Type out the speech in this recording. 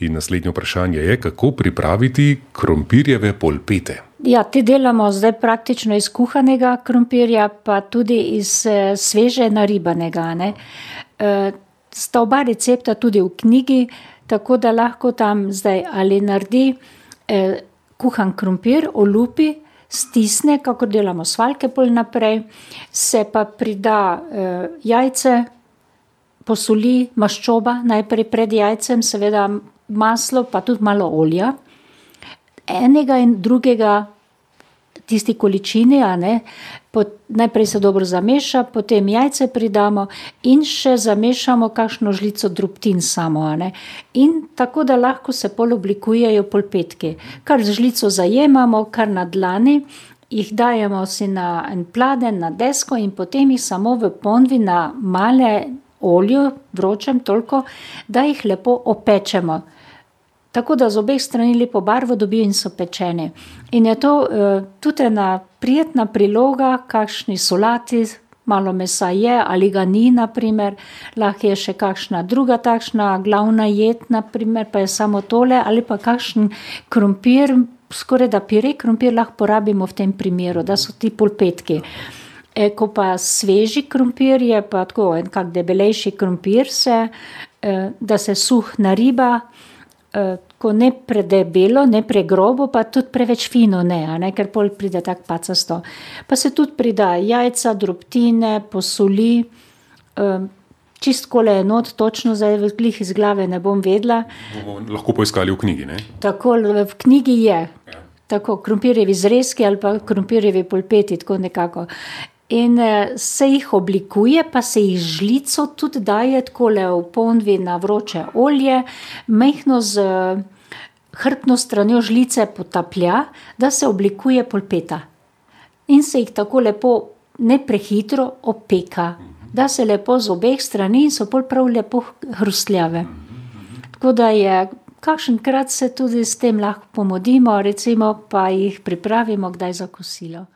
In naslednje vprašanje je, kako pripraviti krompirjeve polpete. Ja, te delamo zdaj praktično iz kuhanega krompirja, pa tudi iz sveže naribanega, ne. Sta oba recepta tudi v knjigi, tako da lahko tam zdaj ali naredi kuhan krompir, olupi, stisne, kakor delamo svaljke pol naprej, se pa prida jajce, posoli, maščoba najprej pred jajcem, seveda maslo, pa tudi malo olja. Enega in drugega tisti količini, a ne, najprej se dobro zameša, potem jajce pridamo in še zamešamo kakšno žlico drobtin samo, a ne. In tako, da lahko se pol oblikujejo polpetki. Kar z žlico zajemamo, kar na dlani, jih dajemo si na en pladenj, na desko in potem jih samo v ponvi na male olju, vročem toliko, da jih lepo opečemo. Tako da z obeh strani lepo barvo dobijo in so pečeni. In je to tudi ena prijetna priloga kakšni solati, malo mesa je ali ga ni, na primer, lahko je še kakšna druga takšna glavna jed, na primer, pa je samo tole, ali pa kakšen krompir, skorajda pire krompir lahko porabimo v tem primeru, da so ti polpetki. Ko pa sveži krompir je pa tako en kak debelejši krompir da se suh nariba, ko ne predebelo, ne pregrobo, pa tudi preveč fino ne, a ne, ker pol pride tako pacasto. Pa se tudi prida jajca, drobtine, posoli, čisto takole not, točno zdaj glih iz glave ne bom vedela. Bomo lahko poiskali v knjigi, ne? Tako, v knjigi je. Tako, krompirjevi zrezki ali pa krompirjevi polpeti, tako nekako. In se jih oblikuje, pa se jih žlico tudi daje takole v ponvi na vroče olje, majhno z hrbtno stranjo žlice potaplja, da se oblikuje polpeta. In se jih tako lepo, ne prehitro, opeka. Da se lepo z obeh strani in so pol prav lepo hrustljave. Tako da je, kakšenkrat se tudi s tem lahko pomodimo, recimo, pa jih pripravimo kdaj za kosilo.